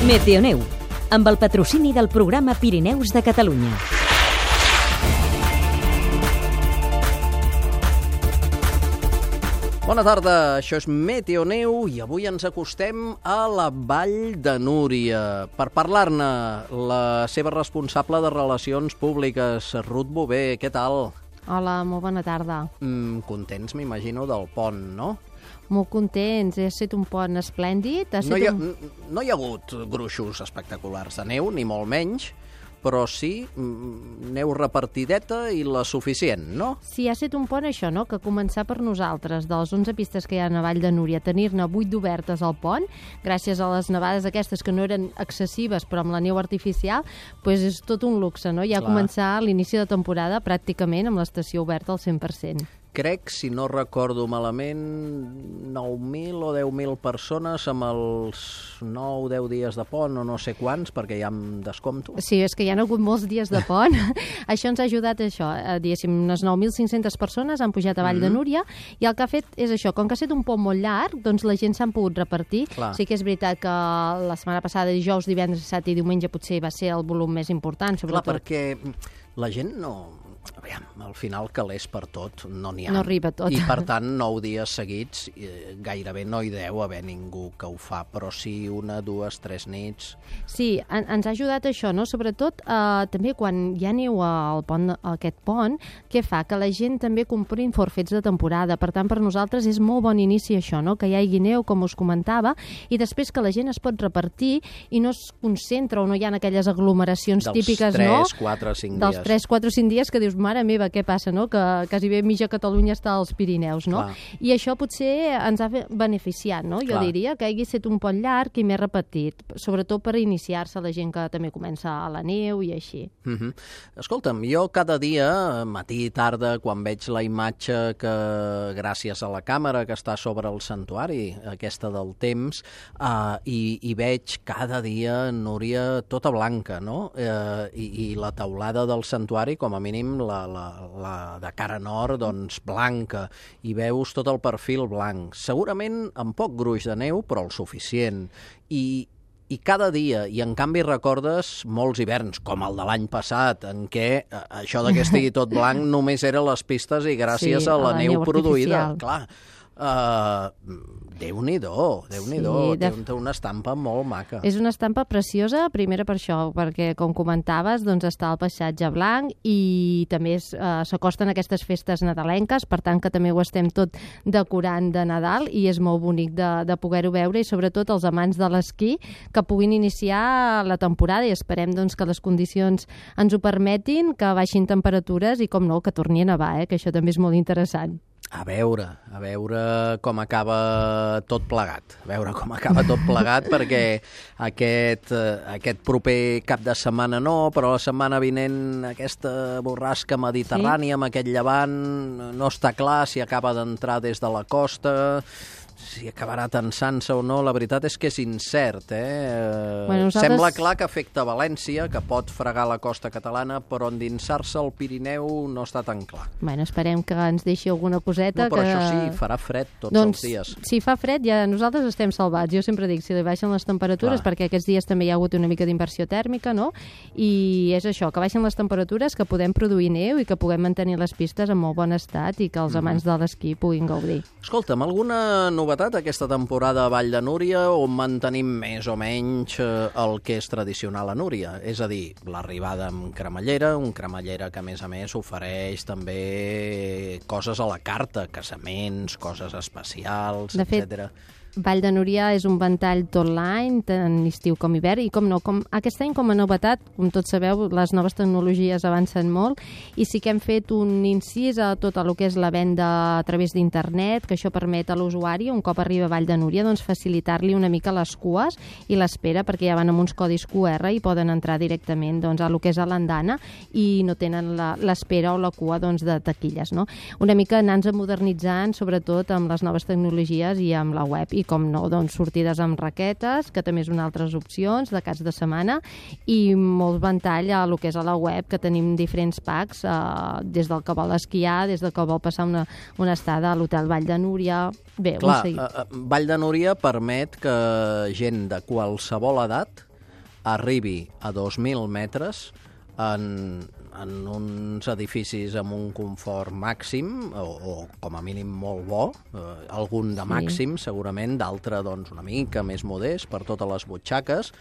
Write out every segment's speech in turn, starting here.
Meteoneu, amb el patrocini del programa Pirineus de Catalunya. Bona tarda, això és Meteoneu i avui ens acostem a la Vall de Núria. Per parlar-ne, la seva responsable de Relacions Públiques, Ruth Bové, què tal? Hola, molt bona tarda. Contents, m'imagino, del pont, no? Molt contents, ha estat un pont esplèndid. No hi ha hagut gruixos espectaculars de neu, ni molt menys, però sí neu repartideta i la suficient, no? Sí, ha estat un pont això, no?, que començar per nosaltres, de les 11 pistes que hi ha a Vall de Núria, tenir-ne 8 d'obertes al pont, gràcies a les nevades aquestes que no eren excessives, però amb la neu artificial, doncs és tot un luxe, no? Ja començar l'inici de temporada pràcticament amb l'estació oberta al 100%. Crec, si no recordo malament, 9.000 o 10.000 persones amb els 9 o 10 dies de pont, o no sé quants, perquè ja em descompto. Sí, és que hi ha hagut molts dies de pont. Això ens ha ajudat, diguéssim, unes 9.500 persones han pujat a Vall de Núria, i el que ha fet és això, com que ha estat un pont molt llarg, doncs la gent s'han pogut repartir. Clar. Sí que és veritat que la setmana passada, dijous, divendres, dissabte i diumenge, potser va ser el volum més important, sobretot. Clar, perquè la gent no... Aviam, al final calés per tot no n'hi ha. No arriba tot. I per tant, 9 dies seguits gairebé no hi deu haver ningú que ho fa, però sí 1, 2, 3 nits. Sí, ens ha ajudat això, no? Sobretot també quan hi ha neu al pont, aquest pont, què fa? Que la gent també comprin forfets de temporada. Per tant, per nosaltres és molt bon inici això, no? Que hi hagi neu, com us comentava, i després que la gent es pot repartir i no es concentra o no hi ha aquelles aglomeracions típiques, no? Dels 3, 4, 5 dies. Dels 3, 4, 5 dies que dius, mare meva, què passa, no? Que quasi bé mitja Catalunya està als Pirineus, no? Clar. I això potser ens ha beneficiat, no? Jo diria que hagi estat un pont llarg i més repetit, sobretot per iniciar-se la gent que també comença a la neu i així. Escolta'm, jo cada dia, matí i tarda, quan veig la imatge que, gràcies a la càmera que està sobre el santuari, aquesta del temps, i veig cada dia Núria tota blanca, no? I la teulada del santuari, com a mínim la de cara nord, doncs blanca, i veus tot el perfil blanc. Segurament amb poc gruix de neu, però el suficient. I cada dia, i en canvi recordes molts hiverns, com el de l'any passat, en què això que estigui tot blanc només eren les pistes i gràcies a la neu produïda. Clar, Déu-n'hi-do, té una estampa molt maca. És una estampa preciosa, primera per això, perquè, com comentaves, doncs està el paisatge blanc i també s'acosten aquestes festes nadalenques, per tant que també ho estem tot decorant de Nadal i és molt bonic de poder-ho veure, i sobretot els amants de l'esquí que puguin iniciar la temporada, i esperem doncs, que les condicions ens ho permetin, que baixin temperatures i, com no, que torni a nevar, que això també és molt interessant. A veure com acaba tot plegat. Perquè aquest proper cap de setmana no, però la setmana vinent aquesta borrasca mediterrània amb aquest llevant no està clar si acaba d'entrar des de la costa, si acabarà tensant-se o no, la veritat és que és incert, Sembla clar que afecta València, que pot fregar la costa catalana, però endinsar-se al Pirineu no està tan clar. Bueno, esperem que ens deixi alguna coseta. No, però això sí, farà fred tots els dies. Si fa fred, ja nosaltres estem salvats. Jo sempre dic, si li baixen les temperatures, perquè aquests dies també hi ha hagut una mica d'inversió tèrmica, no? I és això, que baixen les temperatures, que podem produir neu i que puguem mantenir les pistes en molt bon estat i que els amants de l'esquí puguin gaudir. Escolta'm, alguna novetat aquesta temporada a Vall de Núria, on mantenim més o menys el que és tradicional a Núria? És a dir, l'arribada amb cremallera, un cremallera que a més ofereix també coses a la carta, casaments, coses especials, etc. Vall de Núria és un ventall tot l'any, tant estiu com hivern, i aquest any com a novetat, com tots sabeu, les noves tecnologies avancen molt, i sí que hem fet un incís a tot el que és la venda a través d'internet, que això permet a l'usuari, un cop arriba a Vall de Núria, doncs facilitar-li una mica les cues i l'espera, perquè ja van amb uns codis QR i poden entrar directament doncs, a lo que és a l'andana i no tenen l'espera o la cua doncs, de taquilles, no? Una mica anar-nos modernitzant, sobretot amb les noves tecnologies i amb la web, i com no, doncs sortides amb raquetes, que també és una altres opcions de caps de setmana, i molt ventall a lo que és a la web, que tenim diferents packs, des del que vol esquiar, des del que vol passar una estada a l'Hotel Vall de Núria. Bé, clar, Vall de Núria permet que gent de qualsevol edat arribi a 2.000 metres en uns edificis amb un confort màxim o com a mínim molt bo, algun de màxim segurament, d'altre doncs una mica més modest per totes les butxaques,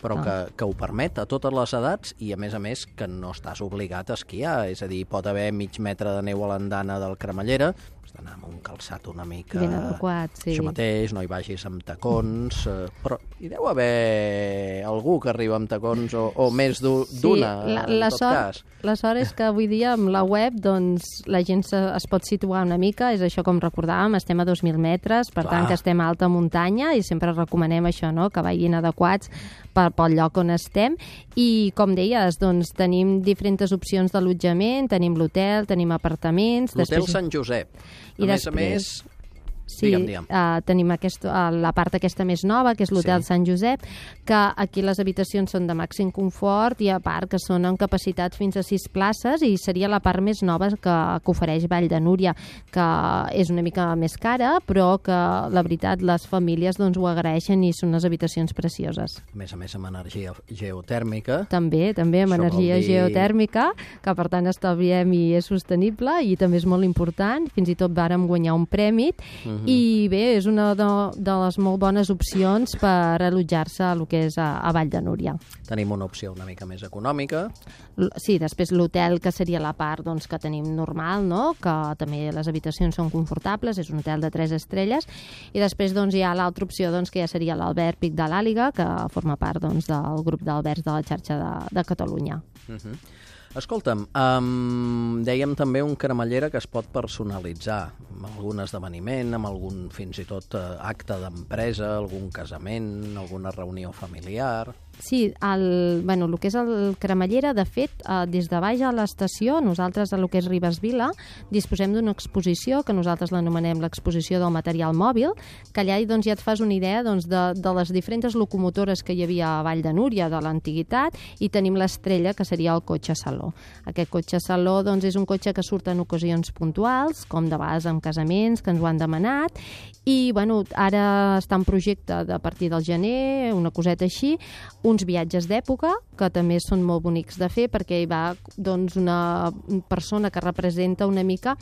però que ho permet a totes les edats i a més que no estàs obligat a esquiar, és a dir, pot haver mig metre de neu a l'andana del Cremallera, has d'anar amb un calçat una mica ben adequat, això mateix, no hi vagis amb tacons, però hi deu haver algú que arriba amb tacons o més d'una, en tot cas. La sort és que avui dia amb la web doncs, la gent es pot situar una mica, és això com recordàvem, estem a 2.000 metres, per tant que estem a alta muntanya i sempre recomanem això, no? Que vagin adequats pel lloc on estem i com deies, doncs tenim diferents opcions d'allotjament, tenim l'hotel, tenim apartaments... L'hotel Sant Josep, a més... Sí, tenim la part aquesta més nova, que és l'Hotel Sant Josep, que aquí les habitacions són de màxim confort i a part que són amb capacitat fins a 6 places i seria la part més nova que ofereix Vall de Núria, que és una mica més cara, però que la veritat les famílies doncs, ho agraeixen i són unes habitacions precioses. A més amb energia geotèrmica. També amb energia geotèrmica, que per tant estalviem i és sostenible i també és molt important, fins i tot vàrem guanyar un premi. I bé, és una de les molt bones opcions per allotjar-se a lo que és a Vall de Núria. Tenim una opció una mica més econòmica. Sí, després l'hotel, que seria la part doncs, que tenim normal, no? Que també les habitacions són confortables, és un hotel de 3 estrelles, i després doncs, hi ha l'altra opció doncs, que ja seria l'Alberg Pic de l'Àliga, que forma part doncs, del grup d'albergs de la xarxa de Catalunya. Escolta'm, dèiem també un Cremallera que es pot personalitzar amb algun esdeveniment, amb algun fins i tot acte d'empresa, algun casament, alguna reunió familiar... Sí, el que és el Cremallera, de fet, des de baix a l'estació, nosaltres a lo que és Ribesvila, disposem d'una exposició que nosaltres l'anomenem l'exposició del material mòbil, que allà doncs, ja et fas una idea doncs, de les diferents locomotores que hi havia a Vall de Núria, de l'antiguitat, i tenim l'estrella, que seria el cotxe saló. Aquest cotxe saló doncs, és un cotxe que surt en ocasions puntuals, com de vegades en casaments, que ens ho han demanat, i ara està en projecte a partir del gener, una coseta així, uns viatges d'època, que també són molt bonics de fer, perquè hi va doncs, una persona que representa una mica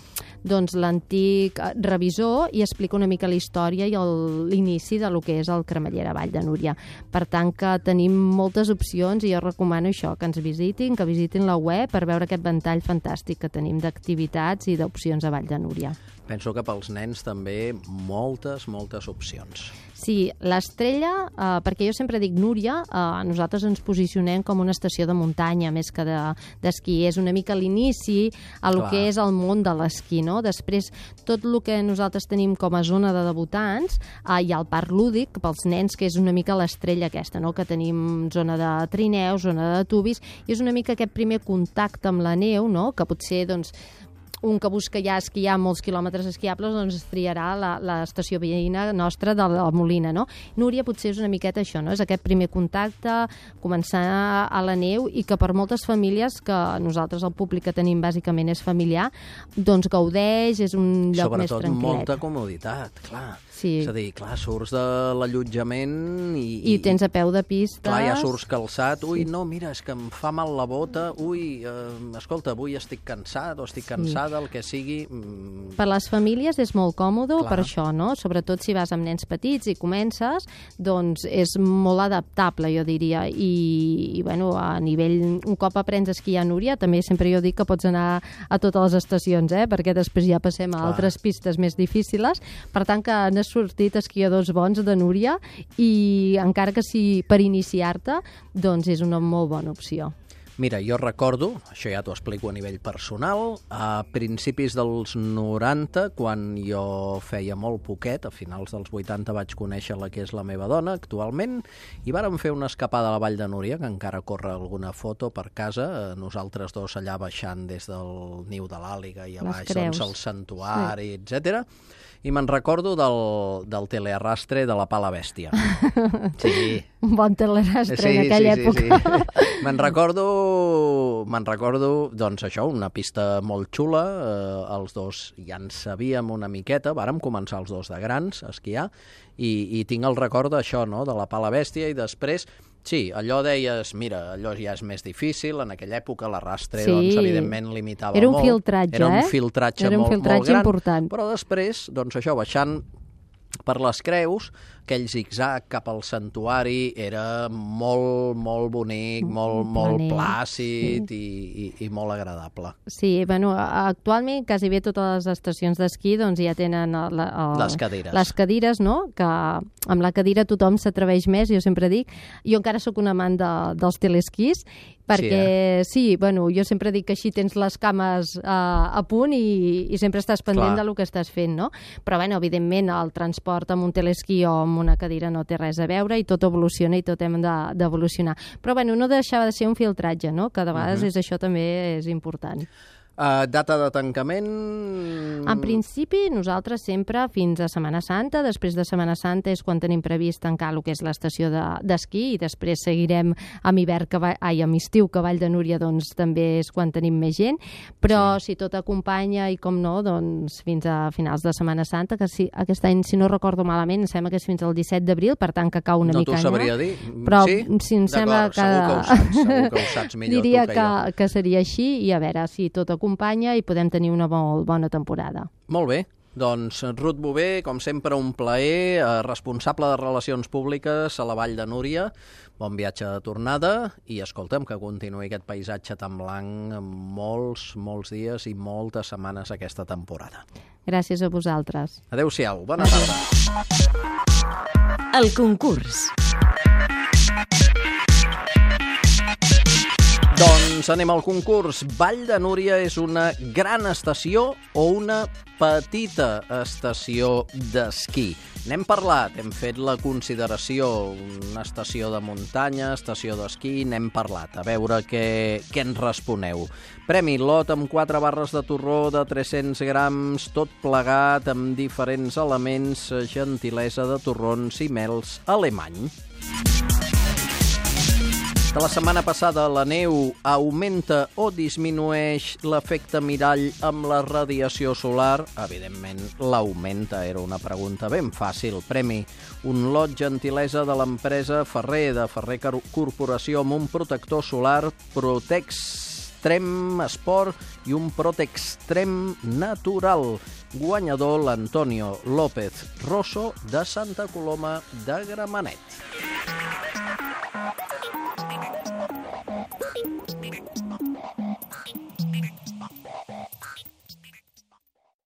doncs, l'antic revisor i explica una mica la història i l'inici de lo que és el Cremallera Vall de Núria. Per tant, que tenim moltes opcions i jo recomano això, que ens visitin, que visitin la web per veure aquest ventall fantàstic que tenim d'activitats i d'opcions a Vall de Núria. Penso que pels nens també moltes opcions. Sí, l'estrella, perquè jo sempre dic Núria, nosaltres ens posicionem com una estació de muntanya més que d'esquí. És una mica l'inici a lo que és el món de l'esquí, no? Després, tot el que nosaltres tenim com a zona de debutants, hi ha el parc lúdic pels nens, que és una mica l'estrella aquesta, no? Que tenim zona de trineus, zona de tubis, i és una mica aquest primer contacte amb la neu, no? Que potser, doncs, un que busca ja esquiar molts quilòmetres esquiables, doncs es triarà l'estació veïna nostra de la Molina, no? Núria potser és una miqueta això, no? És aquest primer contacte, començar a la neu, i que per moltes famílies, que nosaltres el públic que tenim bàsicament és familiar, doncs gaudeix, és un lloc més tranquil·let. Sobretot molta comoditat, clar. Sí. És a dir, clar, surts de l'allotjament i tens a peu de pista. Clar, ja surts calçat. Ui, no, mira, és que em fa mal la bota. Ui, escolta, avui estic cansat o estic cansada, el que sigui. Per les famílies és molt còmode per això, no? Sobretot si vas amb nens petits i comences, doncs és molt adaptable, jo diria. I bueno, a nivell, un cop aprens a esquiar a Núria, també sempre jo dic que pots anar a totes les estacions, perquè després ja passem a altres pistes més difícils. Per tant, que han sortit esquiadors bons de Núria i encara que sigui per iniciar-te, doncs és una molt bona opció. Mira, jo recordo, això ja t'ho explico a nivell personal, a principis dels 90, quan jo feia molt poquet, a finals dels 80 vaig conèixer la que és la meva dona actualment, i vàrem fer una escapada a la Vall de Núria, que encara corre alguna foto per casa, nosaltres dos allà baixant des del niu de l'Àliga i a baix doncs, el santuari, etc. I me'n recordo del telearrastre de la Pala Bèstia. Sí. Un bon telearrastre en aquella època. Sí. Me'n recordo, doncs això, una pista molt xula, els dos ja en sabíem una miqueta, vàrem començar els dos de grans a esquiar, i tinc el record d'això, no?, de la Pala Bèstia, i després Sí, allò deies, mira, allò ja és més difícil, en aquella època l'arrastre, Sí. doncs, evidentment, limitava Era un molt. filtratge, Era un eh? filtratge Era un molt, filtratge molt gran, important. però després, doncs això, baixant per les creus, aquell zigzag cap al santuari era molt, molt bonic, molt Planer, plàcid i molt agradable. Sí, bueno, actualment quasi bé totes les estacions d'esquí doncs, ja tenen Les cadires. les cadires, no? Que amb la cadira tothom s'atreveix més, jo sempre dic. Jo encara sóc un amant dels telesquís, perquè sí, bueno, jo sempre dic que així tens les cames a punt i sempre estàs pendent Clar. del que estàs fent, no? Però, bueno, evidentment, el transport amb un telesquí o amb una cadira no té res a veure i tot evoluciona i tot hem d'evolucionar. Però, bueno, no deixava de ser un filtratge, no? Que de vegades això també és important. Data de tancament... En principi, nosaltres sempre fins a Setmana Santa. Després de Setmana Santa és quan tenim previst tancar el que és l'estació d'esquí i després seguirem amb amb estiu, que Vall de Núria doncs, també és quan tenim més gent. Però si tot acompanya i com no, doncs fins a finals de Setmana Santa, que aquest any, si no recordo malament, em sembla que és fins al 17 d'abril, per tant que cau una mica No t'ho sabria dir. Però sí? em sembla que... Segur que ho saps millor Diria tu que jo. que seria així i a veure si tot acompanya i podem tenir una molt bona temporada. Molt bé. Doncs Ruth Bové, com sempre, un plaer, responsable de Relacions Públiques a la Vall de Núria. Bon viatge de tornada i escolta'm que continuï aquest paisatge tan blanc molts dies i moltes setmanes aquesta temporada. Gràcies a vosaltres. Adéu-siau, bona tarda. El concurs. Doncs anem al concurs. Vall de Núria és una gran estació o una petita estació d'esquí? N'hem parlat, hem fet la consideració, una estació de muntanya, estació d'esquí, n'hem parlat. A veure què ens responeu. Premi lot amb 4 barres de torró de 300 grams, tot plegat amb diferents elements, gentilesa de torrons i mels alemany. De la setmana passada, la neu augmenta o disminueix l'efecte mirall amb la radiació solar? Evidentment, l'augmenta. Era una pregunta ben fàcil. Premi, un lot gentilesa de l'empresa Ferrer, de Ferrer Corporació, amb un protector solar Protextrem Sport i un Protextrem Natural. Guanyador, l'Antonio López Rosso, de Santa Coloma de Gramenet.